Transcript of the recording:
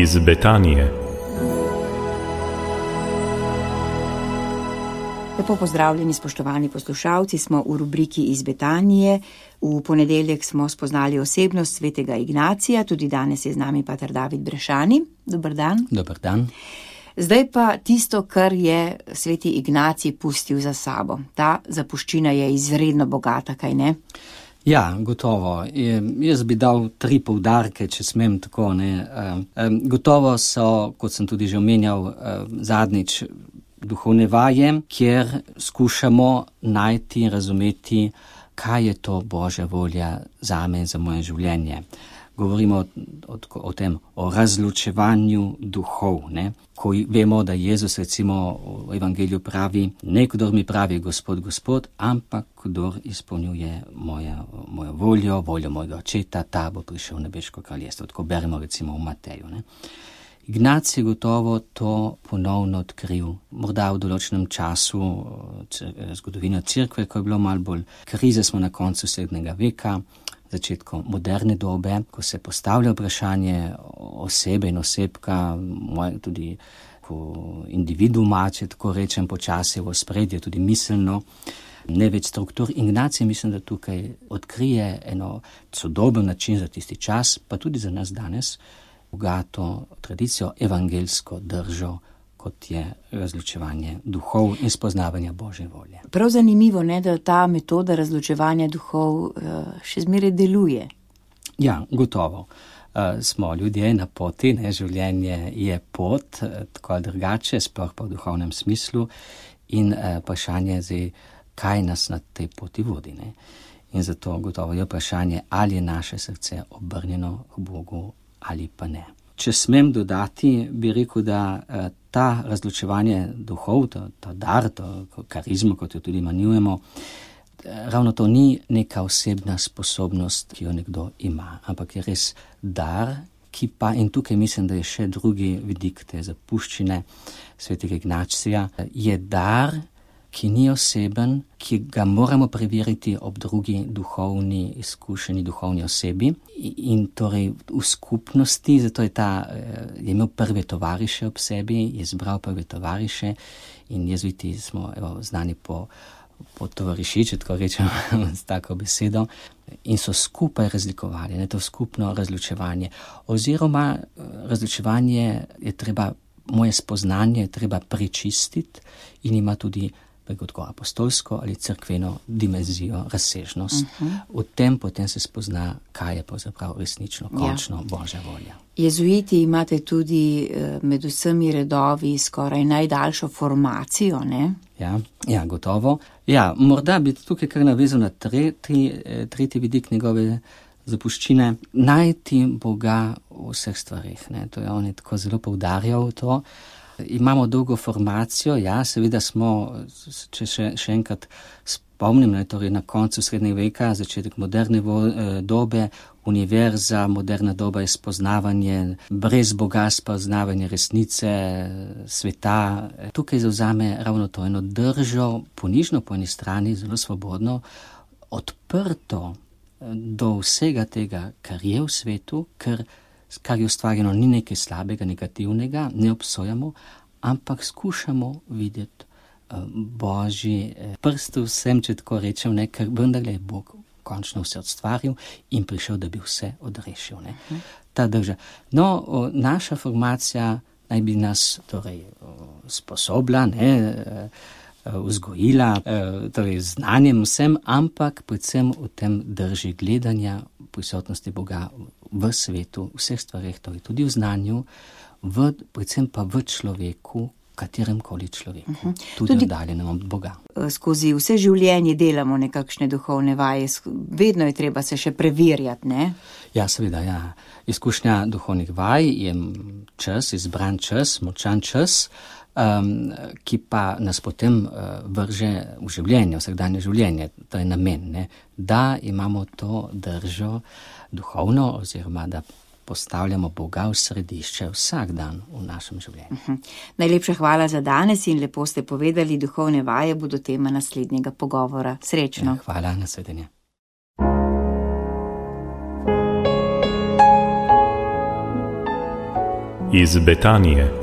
iz Betanije. Lepo pozdravljeni, spoštovani poslušalci, smo v rubriki iz Betanije. V ponedeljek smo spoznali osebnost svetega Ignacija, tudi danes je z nami pater David Brešani. Dober dan. Dober dan. Zdaj pa tisto, kar je sveti Ignacij pustil za sabo. Ta zapuščina je izredno bogata, kaj ne? Ja, gotovo. Jaz bi dal 3 poudarke, če smem tako. Gotovo so, kot sem tudi že omenjal zadnjič, duhovne vaje, kjer skušamo najti in razumeti, kaj je to Božja volja zame in za moje življenje. Govorimo o tem, o razločevanju duhov, ko vemo, da Jezus recimo v evangeliju pravi, ne kdor mi pravi Gospod, Gospod, ampak kdor izpolnjuje mojo voljo mojega očeta, ta bo prišel v nebeško kraljestvo. Tako beremo recimo v Mateju. Ignacij gotovo to ponovno odkril, morda v določenem času zgodovine cerkve, ko je bilo malo bolj krize, smo na koncu srednjega veka, začetku moderne dobe, ko se postavlja vprašanje osebe in osebka, tudi individuuma, če tako rečem, počasi v ospredje, tudi miselno, ne več struktur. Ignacij mislim, da tukaj odkrije eno sodoben način za tisti čas, pa tudi za nas danes, bogato tradicijo, evangelsko držo, kot je razločevanje duhov in spoznavanja Božje volje. Prav zanimivo, da ta metoda razločevanja duhov še zmeraj deluje. Ja, gotovo. Smo ljudje na poti, življenje je pot, tako ali drugače, sploh pa v duhovnem smislu, in vprašanje je, kaj nas na tej poti vodi. In zato gotovo je vprašanje, ali je naše srce obrnjeno k Bogu ali pa ne. Če smem dodati, bi rekel, da ta razločevanje duhov, ta dar, to karizmo, kot jo tudi imenujemo, ravno to ni neka osebna sposobnost, ki jo nekdo ima, ampak je res dar, ki pa, in tukaj mislim, da je še drugi vidik te zapuščine svetega Ignacija, je dar, ki ni oseben, ki ga moramo preveriti ob drugi duhovni izkušeni duhovni osebi in torej v skupnosti, zato je imel prve tovariše ob sebi, je zbral prve tovariše in jezuiti smo znani po tovariši, če tako rečem s tako besedo, in so skupaj razlikovali, to skupno razločevanje. Oziroma razločevanje je treba, moje spoznanje je treba prečistiti in ima tudi kot apostolsko ali cerkveno dimenzijo, razsežnost. V tem potem se spozna, kaj je pravzaprav resnično, končno Božja volja. Jezuiti imate tudi med vsemi redovi skoraj najdaljšo formacijo, ne? Ja, gotovo. Ja, morda bi tukaj kar navezal na tretji vidik njegove zapuščine, najti Boga v vseh stvareh. To je on tako zelo poudarjal to. Imamo dolgo formacijo, seveda smo, če še enkrat spomnim, torej na koncu srednjega veka, začetek moderne dobe, univerza, moderna doba je spoznavanje, brez Boga spoznavanje resnice, sveta. Tukaj zavzame ravno to eno držo, ponižno po eni strani, zelo svobodno, odprto do vsega tega, kar je v svetu, kar je ustvarjeno, ni nekaj slabega, negativnega, ne obsojamo, ampak skušamo videti Božji prst vsem, če tako rečem, ker vendarle je Bog končno vse ustvaril in prišel, da bi vse odrešil. Ta drža. Naša formacija naj bi nas torej sposobila, vzgojila, torej znanjem vsem, ampak predvsem v tem drži gledanja prisotnosti Boga v svetu, v vseh stvareh, torej tudi v znanju, predvsem pa v človeku, kateremkoli človeku, tudi oddaljenem od Boga. Skozi vse življenje delamo nekakšne duhovne vaje, vedno je treba se še preverjati, ne? Ja, seveda, ja. Izkušnja duhovnih vaj je čas, izbran čas, močan čas, ki pa nas potem vrže v življenje, vsakdanje življenje, to je namen, da imamo to držo duhovno, oziroma da postavljamo Boga v središče vsak dan v našem življenju. Najlepša hvala za danes in lepo ste povedali, duhovne vaje bodo tema naslednjega pogovora. Srečno. Hvala, nasvidenje. iz Betanije.